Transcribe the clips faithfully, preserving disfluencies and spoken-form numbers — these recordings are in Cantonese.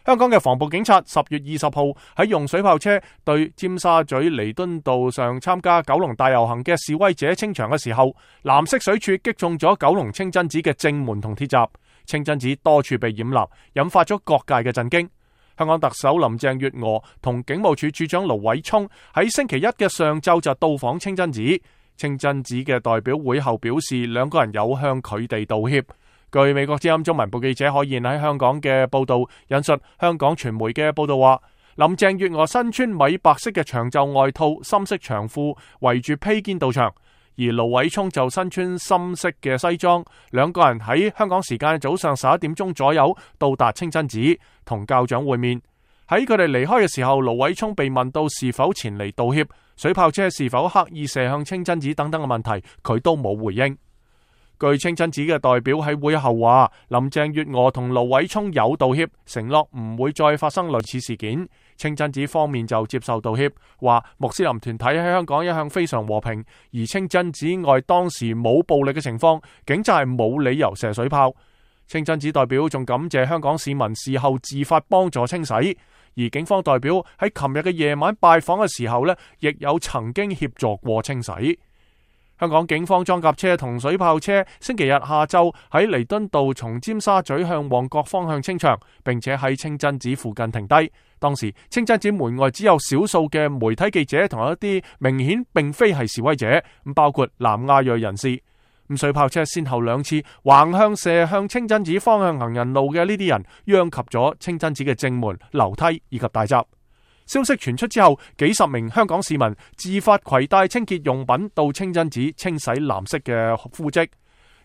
香港嘅防暴警察十月二十號喺用水炮車對尖沙咀彌敦道上參加九龍大遊行嘅示威者清場嘅時候，藍色水柱擊中咗九龍清真寺嘅正門同鐵閘，清真寺多處被染蠟，引發咗各界嘅震驚。香港特首林鄭月娥同警務處處長盧偉聰喺星期一嘅上晝就到訪清真寺，清真寺嘅代表會後表示，兩個人有向佢哋道歉。據美國之音中文部記者可言喺香港嘅報道引述香港傳媒嘅報道話，林鄭月娥身穿米白色嘅長袖外套、深色長褲，圍住披肩到場，而盧偉聰就身穿深色嘅西裝。兩個人喺香港時間早上十一點鐘左右到達清真寺，同教長會面。喺佢哋離開嘅時候，盧偉聰被問到是否前嚟道歉、水炮車是否刻意射向清真寺等等嘅問題，佢都冇回應。據清真寺嘅代表喺會後話，林鄭月娥同盧偉聰有道歉，承諾唔會再發生類似事件。清真寺方面就接受道歉，話穆斯林團體喺香港一向非常和平，而清真寺外當時冇暴力嘅情況，警察係冇理由射水炮。清真寺代表仲感謝香港市民事後自發幫助清洗，而警方代表喺琴日嘅夜晚拜訪嘅時候呢，亦有曾經協助過清洗。香港警方裝甲車同水炮車星期日下晝喺彌敦道從尖沙咀向旺角方向清場，並且喺清真寺附近停低。當時清真寺門外只有少數嘅媒體記者同一啲明顯並非係示威者，包括南亞裔人士。咁水炮車先後兩次橫向射向清真寺方向行人路嘅呢啲人，殃及咗清真寺嘅正門、樓梯以及大閘。消息傳出之後，幾十名香港市民自發攜帶清潔用品到清真寺清洗藍色嘅污跡。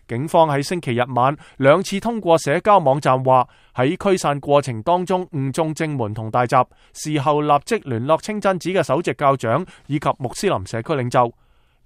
警方喺星期日晚兩次通過社交網站話，喺驅散過程當中誤中正門同大閘，事後立即聯絡清真寺嘅首席教長以及穆斯林社區領袖。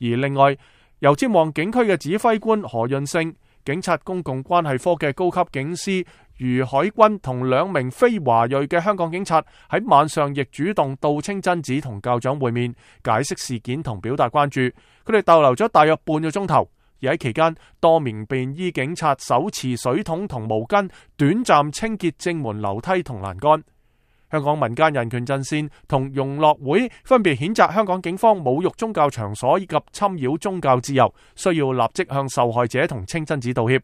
而另外，油尖旺警區嘅指揮官何潤勝、警察公共關係科嘅高級警司余海軍同兩名非華裔嘅香港警察喺晚上亦主動到清真寺同教長會面，解釋事件同表達關注。佢哋逗留咗大約半個鐘頭，而喺期間，多名便衣警察手持水桶同毛巾，短暫清潔正門樓梯同欄杆。香港民間人權陣線同融樂會分別譴責香港警方侮辱宗教場所以及侵擾宗教自由，需要立即向受害者同清真寺道歉。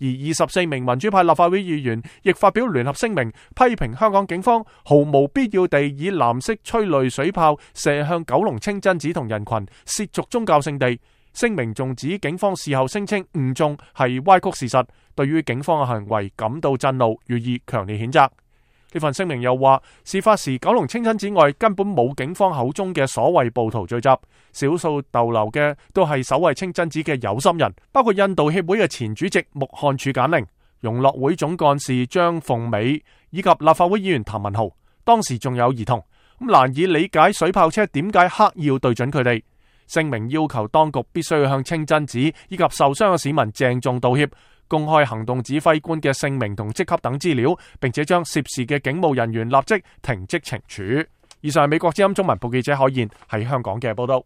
而二十四名民主派立法會議員亦發表聯合聲明，批評香港警方毫無必要地以藍色催淚水炮射向九龍清真寺同人群，褻瀆宗教聖地。聲明仲指警方事後聲稱誤中係歪曲事實，對於警方嘅行為感到震怒，予以強烈譴責。呢份聲明又話，事發時九龍清真寺外根本冇警方口中嘅所謂暴徒聚集，少數逗留嘅都係守衛清真寺嘅有心人，包括印度協會嘅前主席穆漢柱簡寧、融樂會總幹事張鳳美以及立法會議員譚文豪。當時仲有兒童，咁難以理解水炮車點解刻意要對準佢哋。聲明要求當局必須要向清真寺以及受傷嘅市民鄭重道歉，公開行動指揮官嘅姓名同職級等資料，並且將涉事嘅警務人員立即停職懲處。以上係美國之音中文部記者可言喺香港嘅報道。